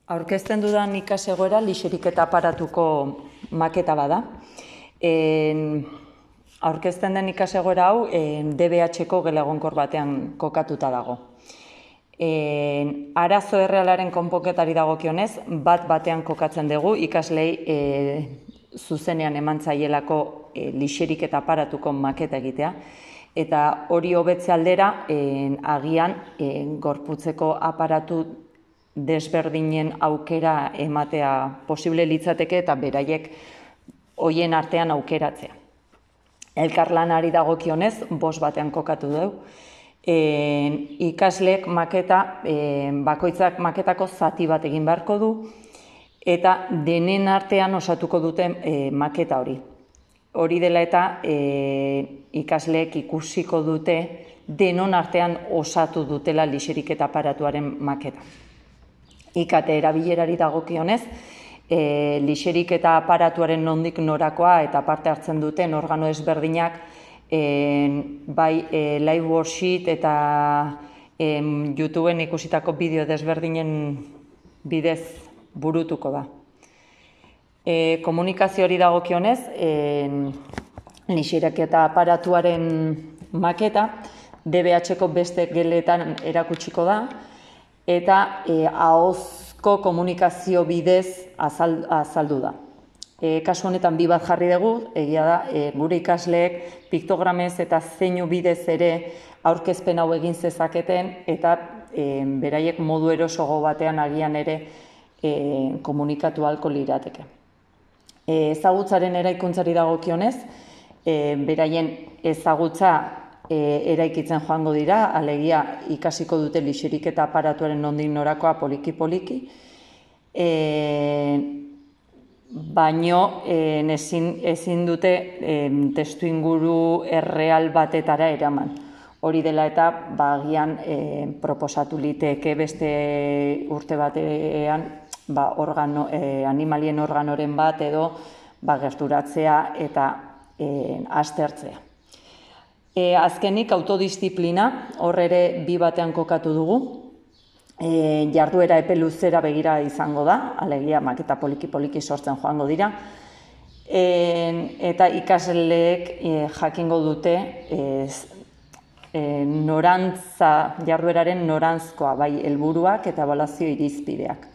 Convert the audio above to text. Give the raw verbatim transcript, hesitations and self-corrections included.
Aurkezten dudan ikasegoera lixeriketa aparatuko maketa bada. En, aurkezten den ikasegoera hau D B H-ko gela egonkor batean kokatuta dago. En, arazo errealaren konponketari dagokionez, bat batean kokatzen dugu ikaslei e, zuzenean eman zaielako e, lixeriketa aparatuko maketa egitea. Eta hori hobetze aldera, en, agian en, gorputzeko aparatu desberdinen aukera ematea posible litzateke eta beraiek hoien artean aukeratzea. Elkarlanari dagokionez, bost batean kokatu dugu. E, ikasleek maketa, e, bakoitzak maketako zati bat egin beharko du, eta denen artean osatuko dute e, maketa hori. Hori dela eta e, ikasleek ikusiko dute denon artean osatu dutela lixeriketa aparatuaren maketa. I K T erabilerari dagokionez, e, lixeriketa aparatuaren nondik norakoa eta parte hartzen duten organo ezberdinak e, bai e, live worksheet eta e, YouTubeen ikusitako bideo desberdinen bidez burutuko da. E, komunikazio hori dagokionez, e, lixeriketa aparatuaren maketa D B H-ko beste geletan erakutsiko da, eta e, ahozko komunikazio bidez azal, azaldu da. E, kasu honetan bi bat jarri dugu, egia da, e, gure ikasleek piktogramez eta zeinu bidez ere aurkezpen hau egin zezaketen, eta e, beraiek modu erosogo batean agian ere e, komunikatu ahalko lirateke. E, ezagutzaren eraikuntzari dagokionez, e, beraien ezagutza E, eraikitzen joango dira, alegia ikasiko dute lixeriketa aparatuaren nondik norakoa poliki-poliki, e, baino e, ezin, ezin dute e, testu inguru erreal batetara eraman. Hori dela eta bagian e, proposatu liteke beste urte batean ba, organo, e, animalien organoren bat edo ba, gerturatzea eta e, aztertzea. E, azkenik, autodisziplina, hor ere bi batean kokatu dugu. E, jarduera epe luzera begira izango da, alegia maketa poliki-poliki sortzen joango dira. E, eta ikasleek e, jakingo dute e, e, norantza, jardueraren norantzkoa, bai helburuak eta ebaluazio irizpideak.